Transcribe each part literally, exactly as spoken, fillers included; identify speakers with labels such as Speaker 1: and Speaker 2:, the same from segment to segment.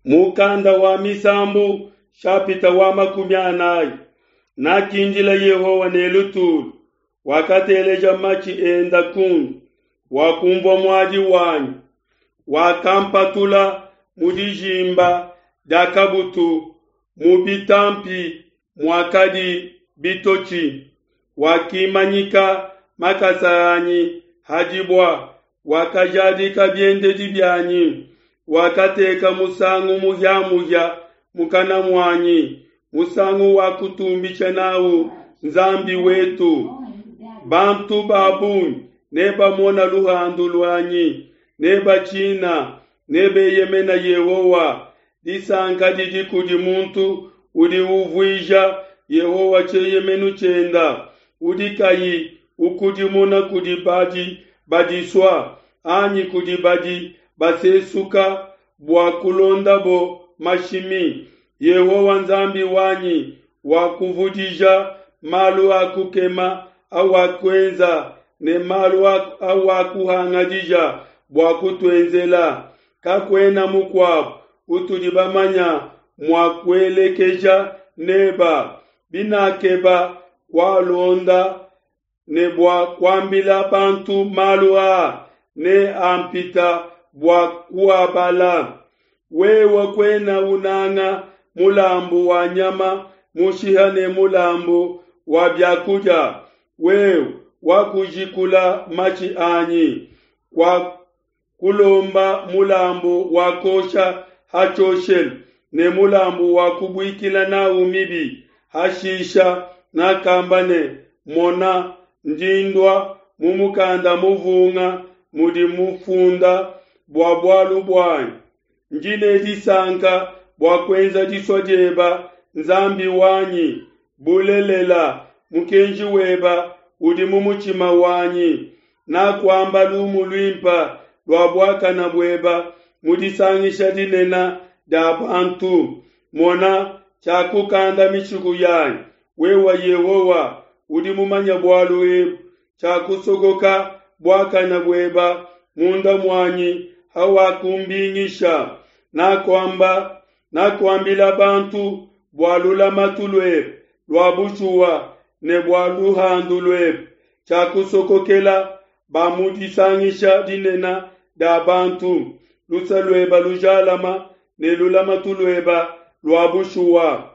Speaker 1: Mukanda wa Misambu shapita wa makumi anayi nakindila Yehowa ne lutulu, wakateleja matshi enda kundi, wakumvua muadi wanyi, wakampatula mu dijimba dia kabutu, mu bitampi muakadi bitotshi, wakimanyika makasa anyi ha dibua, wakajadika biendedi bianyi, wakateka musangu muhia-muhia mukana muanyi, musangu wa kutumbisha n'au Nzambi wetu. Bantu ba bungi nebamona luhandu luanyi, nebatshina, nebeyemena Yehowa. Disanka didi kudi muntu udi uvuija Yehowa tshieyemenu tshienda, udi kayi ukudimuna kudi badi badisua, anyi kudi badi basesuka bua kulondabo mashimi. Yehowa Nzambi wanyi wakuvudija malu a kukema awakuenza ne malu awakuhangadija bua kutuenzela. Kakuena mukuabu utudi bamanya mua kuelekeja neba. Binakeba kualonda ne bua kuambila bantu malu aa, ne ampita bua kuabala. Wewe kuena unanga mulambu wa nyama mushiha ne mulambu wa bia kudia, wewe wakujikula matshi anyi, kwa kulomba mulambu wa kosha ha tshioshelu ne mulambu wa kubuikila n'au mibi. Hashisha nakamba ne, Mona, ndi ndua, mu mukanda muvunga mudi mufunda bua bualu buanyi. Ndi ne disanka bua kuenza disua dieba, Nzambi wanyi, bulelela, mukenji weba udi mu mutshima wanyi. Nakuamba lumu luimpa lua buakana bueba mu disangisha dinene dia bantu. Mona, tshiakukanda mishiku yanyi, wewe Yehowa udi mumanye bualu ebu. Tshiakusokoka buakana bueba munda muanyi hawakumbingisha. Nakuamba nakuambila bantu bua lulamatu luebe lua bushuwa ne bua luhandu luebe. Tshiakusokokela ba mu disangisha dinene dia bantu luse lueba lujalama ne lulamatu lueba lua bushuwa.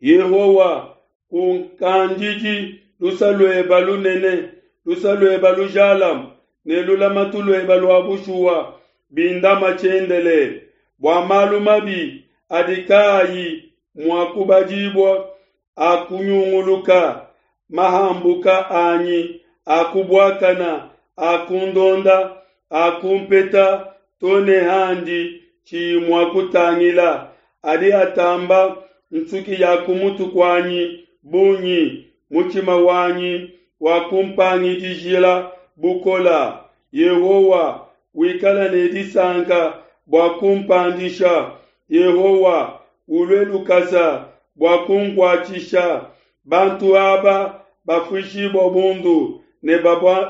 Speaker 1: Yehowa, kunkandidi luse lueba lunene, luse lueba lujalama ne lulamatu lueba lua bushuwa bindama tshiendelele. Bua malu mabi adi kaayi mua kubadibua akunyunguluka, mahambuka anyi akubuakana akundonda akumpeta to ne handi tshiyi mua kutangila, adi atamba nsuki ya ku mutu kuanyi bungi, mutshima wanyi wakumpangidijila bukola. Yehowa, wikala ne disanka bua kumpandisha. Yehowa, ulue lukasa bua kunkuatshisha. Bantu aba bafuishibua bundu ne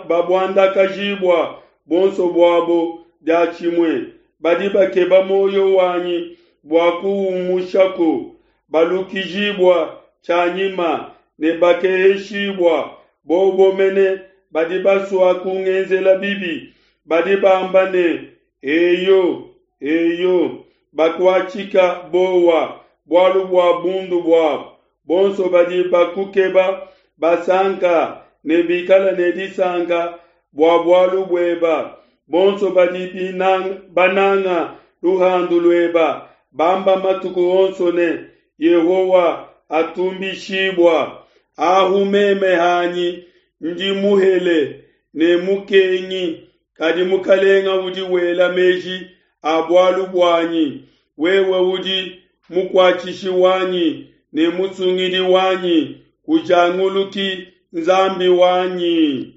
Speaker 1: babuandakajibua buonso buabo diatshimue. Badi bakeba muoyo wanyi bua kuumushaku, balukijibua tshianyima ne bakeheshibua. Bobo mene badi basua kungenzela bibi, badi bamba ne, Eyo, eyo, bakuatshika bowa bualu bua bundu buabo. Bonso badi bakukeba basanka ne bikala ne disanka bua bualu bueba. Bonso badi binanga, bananga luhandu lueba bamba matuku onso ne, Yehowa atumbishibua. Ahu meme hanyi ndi muhele ne mukengi, kadi Mukalenga udi wela meji a bualu buanyi. Wewe udi mukuatshishi wanyi ne musungidi wanyi, kujanguluki Nzambi wanyi.